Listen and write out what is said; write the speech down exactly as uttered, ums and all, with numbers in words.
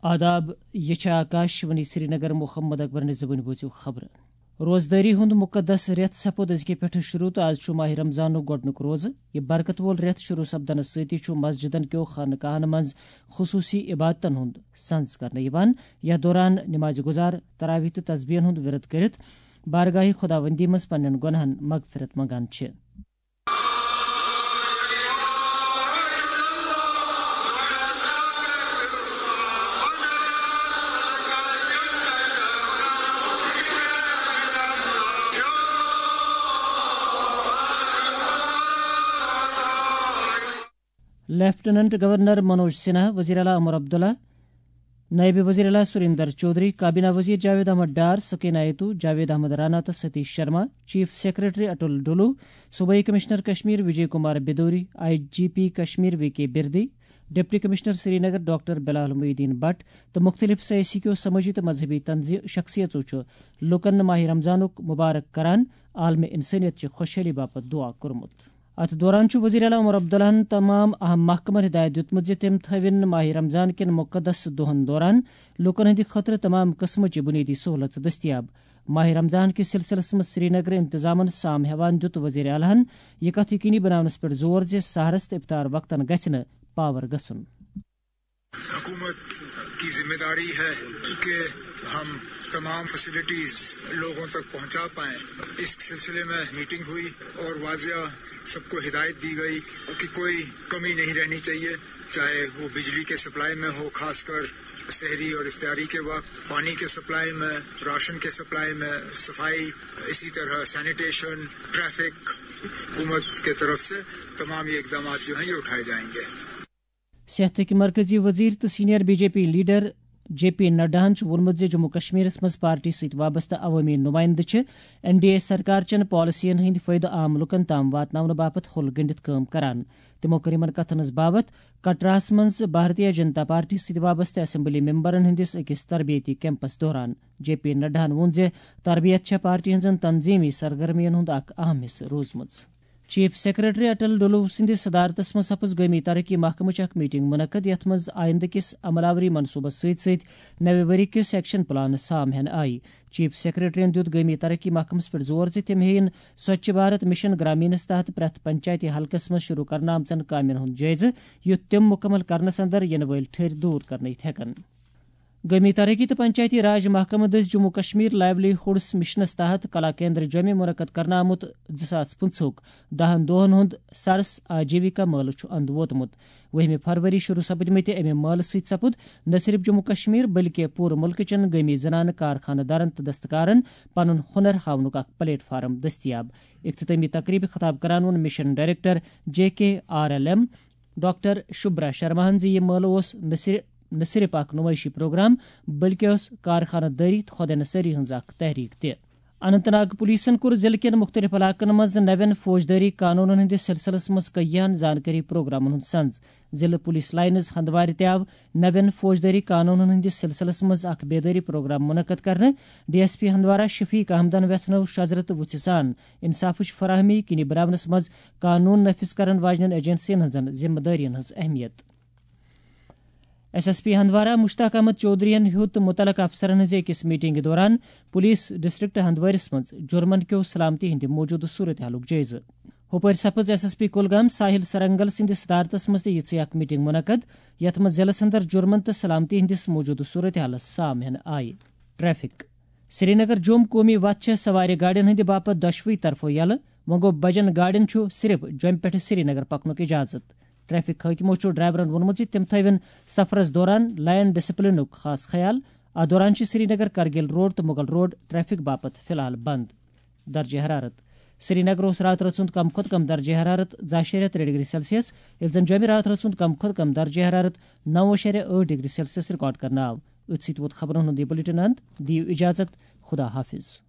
آداب، یہِ چھِ آکاش وانی سرینگر۔ محمد اکبرن زبٲنۍ بوٗزِو خبرٕ۔ روزدٲری ہُنٛد مُقدس رٮ۪تھ سپُد أزکہِ پٮ۪ٹھٕ شروٗع تہٕ آز چھُ ماہِ رمضانُک گۄڈٕنیُک روزٕ۔ یہِ برکت وول رٮ۪تھ شروٗع سپدنس سۭتی چھُ مسجدن کیو خانقاہن منٛز خصوٗصی عبادتن ہُنٛد سنز کرنہٕ یِوان، یتھ دوران نماز گزار تراویح تہٕ تسبیحن ہُنٛد ورد کٔرِتھ بارگاہ خداوندی منٛز پننٮ۪ن گۄناہن مغفرت منگان چھِ۔ لیفٹیننٹ گورنر منوج سنہا، وزیر اعلیٰ عمر عبداللہ، نائب وزیر اعلیٰ سریندر چودھری، کابینہ وزیر جاوید احمد ڈار، سکینہ ایتو، جاوید احمد رانا تہٕ ستیش شرما، چیف سیکرٹری اٹل ڈولو، صوبائی commissioner Kashmir Vijay Kumar Bidhuri, I G P Kashmir V K Birdi, deputy commissioner Srinagar doctor Bilal Mohiuddin Bhat تہٕ مختلف سیاسی کیو سمٲجی تہٕ مذہبی تنظی-، شخصیژو چھُ لوٗکن ماہِ رمضانُک مبارک کران عالم انسانیت چہِ خۄشحٲلی باپتھ دعا کوٚرمُت۔ اتھ دوران چھُ وزیر اعلیٰ عمر عبداللہن تمام اہم محکمن ہدایت دیُتمُت زِ تِم تھٲوِن ماہِ رمضان کٮ۪ن مقدس دۄہن دوران لوٗکن ہٕنٛدِ خٲطرٕ تمام قٕسمٕچہِ بُنیٲدی سہوٗلژٕ دٔستیاب۔ ماہِ رمضان کِس سلسلس منٛز سرینگر انتظامن سام ہٮ۪وان دیُت وزیر اعلیٰ ہن یہِ کتھ یقینی بناونس پٮ۪ٹھ زور زِ سحرس تہٕ افطار وقتن گژھِ نہٕ پاور گژھُن۔ حکومت کی ذمہ داری ہے کہ ہم تمام فیسلٹیز لوگوں تک پہنچا پائیں۔ اس سلسلے میں میٹنگ ہوئی اور واضح سب کو ہدایت دی گئی کہ کوئی کمی نہیں رہنی چاہیے، چاہے وہ بجلی کے سپلائی میں ہو، خاص کر سحری اور افطاری کے وقت، پانی کے سپلائی میں، راشن کے سپلائی میں، صفائی، اسی طرح سینیٹیشن، ٹریفک۔ حکومت کے طرف سے تمام یہ اقدامات جو ہیں، یہ اٹھائے جائیں گے۔ صحتٕکۍ مرکزی وزیر تہٕ senior B J P leader J P نڈاہن چھُ ووٚنمُت زِ جموں کشمیرس منٛز پارٹی سۭتۍ وابستہٕ عوٲمی نُمایندٕ چھِ این ڈی اے سرکار چٮ۪ن پالیسین ہٕنٛدۍ فٲیدٕ عام لوٗکن تام واتناونہٕ باپتھ ہُل گٔنٛڈِتھ کٲم کران۔ تِمو کٔر یِمن کتھن ہٕنٛز باوتھ کٹراہس منٛز بھارتیہ جنتا پارٹی سۭتۍ وابستہٕ اسمبلی ممبرن ہٕنٛدِس أکِس تربیتی کیمپس دوران۔ جے پی نڈاہن ووٚن زِ تربیت چھےٚ پارٹی ہٕنٛزن تنظیمی سرگرمین ہُنٛد اکھ اہم حصہٕ روٗزمٕژ۔ چیف سیکرٹری اٹل ڈولو سٕنٛدِس صدارتس منٛز سپٕز گٲمی ترقی محکمٕچ اکھ میٹنگ منعقد، یتھ منٛز آیندٕ کِس عمل آوری منصوبس سۭتۍ سۭتۍ نوِ ؤری کِس ایکشن پلانس سام ہینہٕ آیہِ۔ چیف سیکرٹریَن دیُت گٲمی ترقی محکمس پٮ۪ٹھ زور زِ تِم ہیٚیِن سوچھ بھارت مشن گرامینس تحت پرٛٮ۪تھ پنچایتی حلقس منٛز شروع کرنہٕ آمژن کامٮ۪ن ہُنٛد جٲیزٕ، یُتھ تِم مُکمل کرنس اندر یِنہٕ وٲلۍ ٹھٔرۍ دوٗر کرنہٕ یِتھ ہٮ۪کن۔ گٲمی ترقی تہٕ پنچایتی راج محکمہٕ دٔسۍ جموں کشمیر لائیولی ہُڈس مشنس تحت کلا کیندر جوٚمہِ منعقد کرنہٕ آمُت زٕ ساس پٕنٛژٕہُک دَہَن دۄہَن ہُنٛد سرس آجیوِکا مٲلہٕ چھُ اندٕ ووتمُت۔ وُہمہِ فروری شروع سپدمٕتہِ اَمہِ مٲلہٕ سۭتۍ سپُد نہ صرف جموں کشمیر بلکہِ پوٗرٕ مُلکہٕ چٮ۪ن گٲمی زنانہٕ کارخانہٕ دارن تہٕ دستکارن پنُن ہُنر ہاونُک اکھ پلیٹ فارم دٔستیاب۔ اختتٲمی تقریبہِ خطاب کران ووٚن مشن ڈائریکٹر جے کے آر ایل ایم ڈاکٹر شبرا شرماہن زِ یہِ مٲلہٕ اوس نہ صرف نہ صرف اکھ نمٲیشی پروگرام، بلکہ ٲس کارخانہٕ دٲری تہٕ خۄداے نصٲری ہٕنٛز اکھ تحریک تہِ۔ اننت ناگ پولیسن کوٚر ضلعہٕ کٮ۪ن مُختٔلِف علاقن منٛز نوٮ۪ن فوجدٲری قانونن ہٕنٛدِس سلسلس منٛز کیاہن زانکٲری پروگرامن ہُنٛد سنز۔ ضلعہٕ پولیس لائنز ہندوارِ تہِ آو نوٮ۪ن فوجدٲری قانونن ہٕنٛدِس سلسلس منٛز اکھ بیدٲری پروگرام منعقد کرنہٕ۔ ڈی ایس پی ہندوارہ شفیق احمدن ویژھنٲو شجرٕ تہٕ وُژھِ سان انصافٕچ فراہمی یقینی بناونس منٛز قانون نافذ کرن واجنٮ۪ن ایجنسین ہٕنٛزن ذمہ دٲرین ہٕنٛز اہمیت۔ S S P Handwara Mushtaq Ahmad چودھرین ہیوٚت متعلقہٕ افسرن ہٕنٛزِ أکِس میٹنگہِ دوران پولیس ڈسٹرکٹ ہندوٲرِس منٛز جرمن کیو سلامتی ہٕنٛدِ موجودٕ صورتحالُک جٲیزٕ۔ ہُپٲرۍ سپٕز ایس ایس پی کُلگام ساحل سرنگل سٕنٛدِس صدارتس منٛز تہِ یِژھٕے اکھ میٹنگ منعقد، یتھ منٛز ضلعس اندر جرمن تہٕ سلامتی ہٕنٛدِس موجودٕ صورتحالس سام ہینہٕ آیہِ۔ ٹریفک۔ سرینگر جوم قومی وتھ چھےٚ سوارِ گاڑٮ۪ن ہٕنٛدِ باپتھ دۄشوٕے طرفو یلہٕ، وۄنۍ گوٚو بجن گاڑٮ۪ن چھُ صرف جوٚمہِ پٮ۪ٹھٕ سرینگر پکنُک اجازت۔ ٹریفک حٲکمو چھُ ڈرائیورن ووٚنمُت زِ تِم تھٲوِن سفرس دوران لائن ڈسپلنُک خاص خیال۔ اتھ دوران چھِ سرینگر کرگل روڈ تہٕ مغل روڈ ٹریفک باپتھ فی الحال بند۔ درجہ حرارت۔ سرینگر اوس راتہٕ رٲژ ہُنٛد کم کھۄتہٕ کم درجہ حرارت زٕ اَشاریہ ترٛےٚ ڈگری سیلسیس، ییٚلہِ زن جوٚمہِ راتہٕ رٲژ ہُنٛد کم کھۄتہٕ کم درجہ حرارت نَو اَشاریہ ٲٹھ ڈگری سیلسیس ریکارڈ کرنہٕ آو۔ أتھۍ سۭتۍ ووت خبرن ہُنٛد یہِ بلیٹن اند۔ دِیِو اجازت، خدا حافظ۔